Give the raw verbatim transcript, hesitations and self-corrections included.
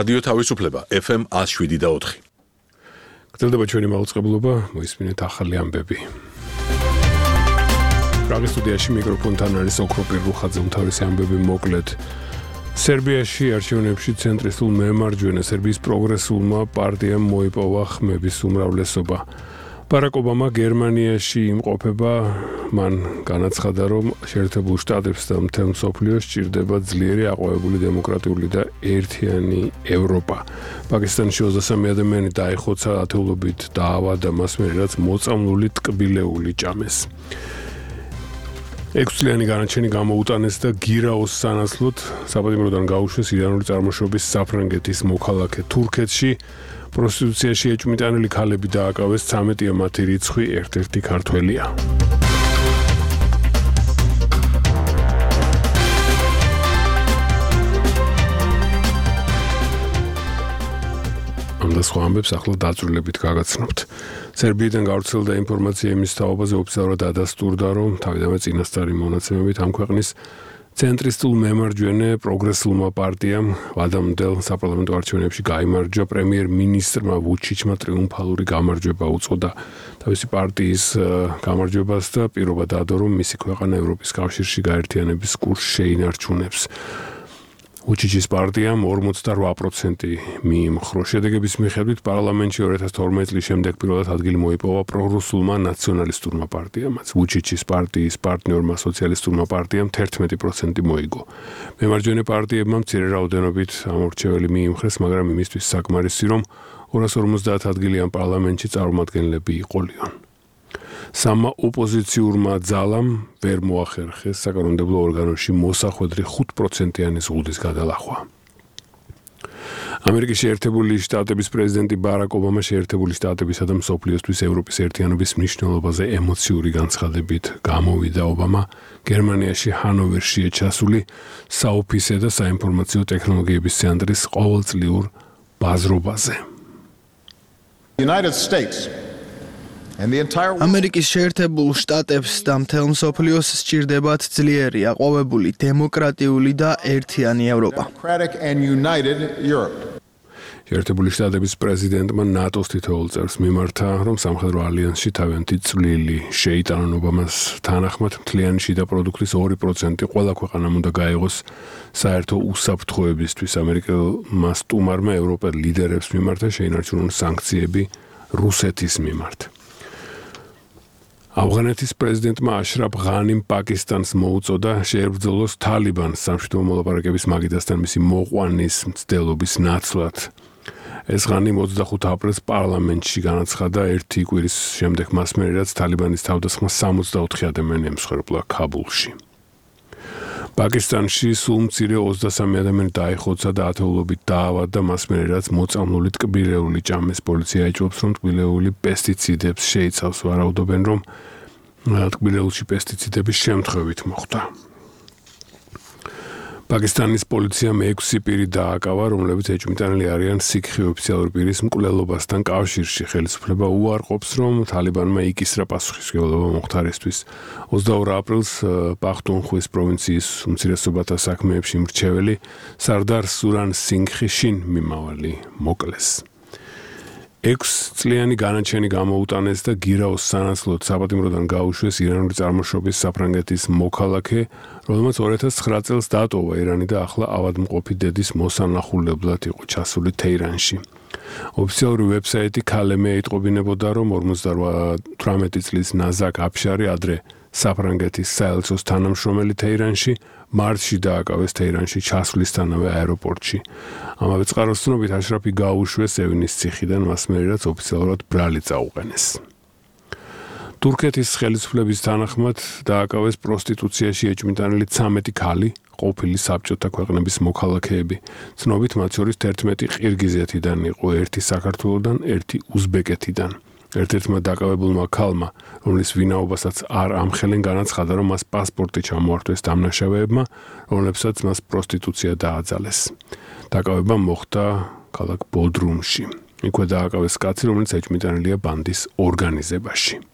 რადიო თავისუფლება ეფ ემ one oh seven point four. გრძელდება ჩვენი მაუწყებლობა, მოისმინეთ ახალი ამბები. პრაღის სტუდიაში მიკროფონთან არის ოქრო პირუხაძე, უმთავრესი ამბები მოკლედ. სერბიაში არჩევნებში ცენტრისტულ მემარჯვენე სერბიის პროგრესულმა პარტიამ მოიპოვა ხმების უმრავლესობა. ბარაკ ობამა გერმანიაში იმყოფება, მან განაცხადა, რომ შეერთებულ შტატებს და მთელ მსოფლიოს სჭირდება ძლიერი აყვავებული დემოკრატიული და ერთიანი ევროპა. პაკისტანში ოცდასამი ადამიანი დაიხოცა, ათეულობით დაავადდა, მას მერე რაც მოწამლული ტკბილეული ჭამეს. ექვსწლიანი განაჩენი გამოუტანეს და გირაოს სანაცვლოდ საპატიმროდან გაუშვეს ირანული წარმოშობის საფრანგეთის მოქალაქე. თურქეთში პროსტიტუციაში ეჭვმიტანილი ქალები დააკავეს, ცამეტია მათი რიცხვი, ერთ-ერთი ქართველია. ამ და სხვა ამბებს ახლა დაწვრილებით გაგაცნობთ. სერბიიდან გავრცელდა ინფორმაცია იმის თაობაზე, ოფიციალურად დადასტურდა, რომ თავიდანვე წინასწარი მონაცემებით ამ ქვეყნის ცენტრისტულ მემარჯვენე პროგრესულმა პარტიამ ვადამდელ საპარლამენტო არჩევნებში გაიმარჯვა. პრემიერ-მინისტრმა ვუჩიჩმა ტრიუმფალური გამარჯვება უწოდა თავისი პარტიის გამარჯვებას და პირობა დაადო, რომ მისი ქვეყანა ევროპის კავშირში გაერთიანების კურსს შეინარჩუნებს. ვუჩიჩის პარტიამ ორმოცდარვა პროცენტი მიიმხრო. შედეგების მიხედვით პარლამენტში ორი ათას თორმეტი წლის შემდეგ პირველად ადგილი მოიპოვა პროგრესულმა ნაციონალისტურმა პარტიამ. ვუჩიჩის პარტიის პარტნიორმა სოციალისტურმა პარტიამ თერთმეტი პროცენტი მოიგო. მემარჯვენე პარტიებმა მცირე რაოდენობით ამორჩეველი მიიმხრეს, მაგრამ იმისთვის საკმარისი, რომ ორას ორმოცდაათ ადგილი ამ პარლამენტში წარმომადგენლები იყოლიონ. სამა ოპოზიციურმა ძალამ ვერ მოახერხეს საკანონმდებლო ორგანოში მოსახვედრი ხუთ პროცენტიანი ზღუდის გადალახვა. ამერიკის შეერთებული შტატების პრეზიდენტი ბარაკ ობამა შეერთებული შტატებისა და მსოფლიოსთვის ევროპის ერთიანობის მნიშვნელობაზე ემოციური განცხადებით გამოვიდა. ობამა გერმანიაში ჰანოვერშია ჩასული საოფისე და საინფორმაციო ტექნოლოგიების ცენტრის ყოველწლიურ ბაზრობაზე. United States ამერიკის შეერთებულ შტატებს და მთელ მსოფლიოს სჭირდებათ ძლიერი, აყვავებული, დემოკრატიული და ერთიანი ევროპა. შეერთებული შტატების პრეზიდენტმა ნატოს თითოეულ წევრს მიმართა, რომ სამხედრო ალიანსში თავიანთი წვლილი შეიტანონ. ობამას თანახმად მთლიანი შიდა პროდუქტის ორი პროცენტი ყველა ქვეყანამ უნდა გაიღოს საერთო უსაფრთხოებისთვის. ამერიკელმა სტუმარმა ევროპელ ლიდერებს მიმართა შეინარჩუნონ სანქციები რუსეთის მიმართ. ავღანეთის პრეზიდენტმა აშრაფ ღანიმ პაკისტანს მოუწოდა შეებრძოლოს თალიბანს სამშვიდობო მოლაპარაკების მაგიდასთან მისი მოყვანის მცდელობის ნაცვლად. ეს ღანიმ ოცდახუთ აპრილს პარლამენტში განაცხადა ერთი კვირის შემდეგ, მას მერე რაც თალიბანის თავდასხმა სამოცდაოთხი ადამიანი ემსხვერპლა ქაბულში. პაკისტანში სულ მცირე ოცდასამი ადამიანი დაიხოცა და ათეულობით დაავადდა, მას მერე რაც მოწამლული ტკბილეული ჭამეს. პოლიცია ეჭვობს, რომ ტკბილეული პესტიციდებს შეიცავს. ვარაუდობენ, რომ ტკბილეულში პესტიციდების შემთხვევით მოხდა. პაკისტანის პოლიციამ ექვსი პირი დააკავა, რომლებიც ეჭვმიტანილი არიან სიქხი ოფიციალური პირის მკვლელობასთან კავშირში. ხელისუფლება უარყოფს, რომ თალიბანმა იკისრა პასუხისმგებლობა მომხდარისთვის. ოცდაორ აპრილს პახტუნხვის პროვინციის უმცირესობათა საქმეებში მრჩეველი სარდარ სურან სინგხი შინ მიმავალი მოკლეს. ექვსწლიანი განაჩენი გამოუტანეს და გირაოს სანაცვლოდ საპატიმროდან გაუშვეს ირანული წარმოშობის საფრანგეთის მოქალაქე, რომელმაც ორი ათას ცხრა წელს დატოვა ირანი და ახლა ავადმყოფი დედის მოსანახულებლად იყო ჩასული თეირანში. ოფიციალური ვებსაიტი ქალემე ეტყობინებოდა, რომ ორმოცდათვრამეტი წლის ნაზაკ აფშარი ადრე საფრანგეთის საელჩოს თანამშრომელი თეირანში, მარტში დააკავეს თეირანში ჩასვლისთანავე აეროპორტში. ამავე წყაროს ცნობით აშრაფი გაუშვეს ევნის ციხიდან, მას მერე რაც ოფიციალურად ბრალი წაუყენეს. თურქეთის ხელისუფლების თანახმად დააკავეს პროსტიტუციაში ეჭვმიტანილი ცამეტი ქალი, ყოფილი საბჭოთა ქვეყნების მოქალაქეები. ცნობით მათ შორის თერთმეტი ყირგიზეთიდან იყო, ერთი საქართველოდან, ერთი უზბეკეთიდან. ერთ-ერთმა დაკავებულმა ქალმა, რომლის ვინაობასაც არ ამხელენ, განაცხადა, რომ მას პასპორტი ჩამოართვეს დამნაშავეებმა, რომლებსაც მას პროსტიტუცია დააძალეს. დაკავება მოხდა ქალაქ ბოდრუმში. იქვე დააკავეს კაცი, რომელიც ეჭვმიტანილია ბანდის ორგანიზებაში.